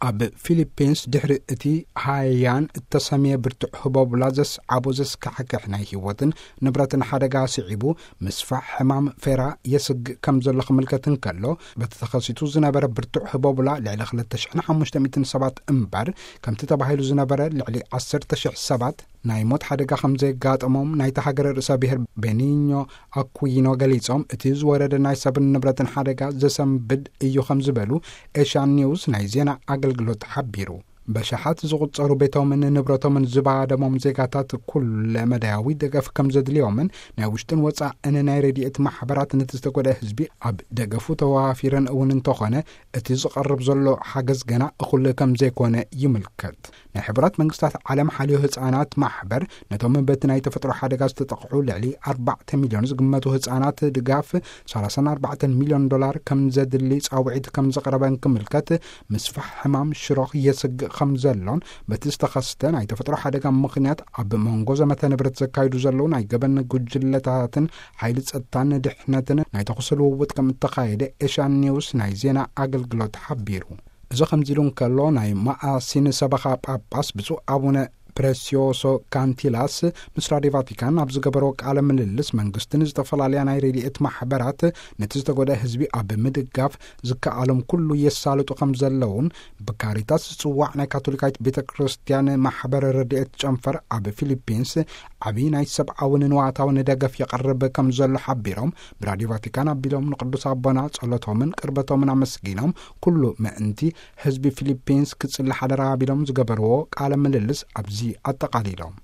ኣብ ፊሊፒንስ ድሕሪ እቲ ሃያን እተሰምየ ብርቱዕ ህቦብላ ዘስዓቦ ዘስካሕክሕ ናይ ህይወትን ንብረትን ሓደጋ ስዒቡ፣ ምስፋሕ ሕማም ፌራ የስግእ ከም ዘሎ ክምልከት እንከሎ፣ በቲ ተኸሲቱ ዝነበረ ብርቱዕ ህቦብላ ልዕሊ ክልተ ሽሕን ሓሙሽተ ሚእትን ሰባት እምበር፣ ከምቲ ተባሂሉ ዝነበረ ልዕሊ ዓሰርተ ሽሕ ሰባት ናይ ሞት ሓደጋ ከም ዘጋጠሞም ናይታ ሃገር ርእሰ ብሔር ቤኒኞ ኣኩይኖ ገሊጾም፣ እቲ ዝወረደ ናይ ሰብን ንብረትን ሓደጋ ዘሰንብድ እዩ ከም ዝበሉ ኤሽያን ኒውስ ናይ ዜና ኣገልግሎት ሓቢሩ። በሽሓት ዝቑጸሩ ቤቶምን ንብረቶምን ዝባደሞም ዜጋታት ኩለ መዳያዊ ደገፍ ከም ዘድልዮምን ናይ ውሽጥን ወጻእን ናይ ረድኤት ማሕበራት ነቲ ዝተጎድአ ህዝቢ ኣብ ደገፉ ተዋፊረን እውን እንተኾነ፣ እቲ ዝቐርብ ዘሎ ሓገዝ ገና እኹል ከም ዘይኮነ ይምልከት። ናይ ሕቡራት መንግስታት ዓለም ሓልዮ ህጻናት ማሕበር ነቶም በቲ ናይ ተፈጥሮ ሓደጋ ዝተጠቕዑ ልዕሊ ኣርባዕተ ሚልዮን ዝግመቱ ህጻናት ድጋፍ ሰላሳን ኣርባዕተን ሚልዮን ዶላር ከም ዘድሊ ጻውዒት ከም ዘቕረበን ክምልከት፣ ምስፋሕ ሕማም ሽሮኽ የስግእ ከም ዘሎን፣ በቲ ዝተኸስተ ናይ ተፈጥሮ ሓደጋ ምኽንያት ኣብ መንጎ ዘመተ ንብረት ዘካይዱ ዘለዉ ናይ ገበን ጉጅለታትን ሓይሊ ጸጥታን ድሕነትን ናይ ተኹሲ ልውውጥ ከም እተኻየደ ኤሽያን ኒውስ ናይ ዜና ኣገልግሎት ሓቢሩ። እዚ ከምዚ ኢሉ እንከሎ፣ ናይ ማኣሲን ሰበኻ ጳጳስ ብፁዕ ኣቡነ ፕሬስዮሶ ካንቲላስ ምስ ራድዮ ቫቲካን ኣብ ዝገበሮ ቃለ ምልልስ፣ መንግስትን ዝተፈላለያ ናይ ረድኤት ማሕበራት ነቲ ዝተጎድአ ህዝቢ ኣብ ምድጋፍ ዝከኣሎም ኩሉ የሳልጡ ከም ዘለውን፣ ብካሪታስ ዝጽዋዕ ናይ ካቶሊካዊት ቤተ ክርስቲያን ማሕበር ረድኤት ጨንፈር ኣብ ፊሊፒንስ ዓብዪ ናይ ሰብኣውን ንዋታውን ደገፍ የቐርብ ከም ዘሎ ሓቢሮም፣ ብራድዮ ቫቲካን ኣቢሎም ንቅዱስ ኣቦና ጸሎቶምን ቅርበቶምን ኣመስጊኖም፣ ኩሉ ምእንቲ ህዝቢ ፊሊፒንስ ክጽሊ ሓደራ ኣቢሎም ዝገበርዎ ቃለ ምልልስ ኣብዚ ኣጠቓሊሎም።